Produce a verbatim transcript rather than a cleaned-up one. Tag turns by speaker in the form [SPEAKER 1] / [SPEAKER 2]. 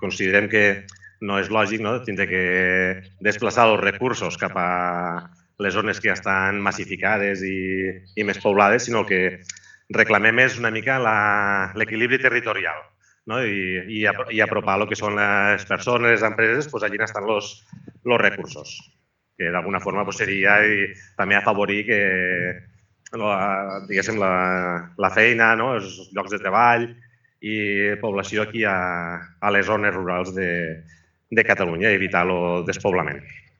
[SPEAKER 1] considerem que no és lògic tindre que desplaçar els recursos cap a les zones que ja estan massificades i més poblades, sinó que reclamem és una mica l'equilibri territorial i apropar el que són les persones, les empreses, allà on estan els recursos, que d'alguna forma seria també afavorir que la feina, els llocs de treball i població aquí a les zones rurals de Catalunya i evitar el despoblament.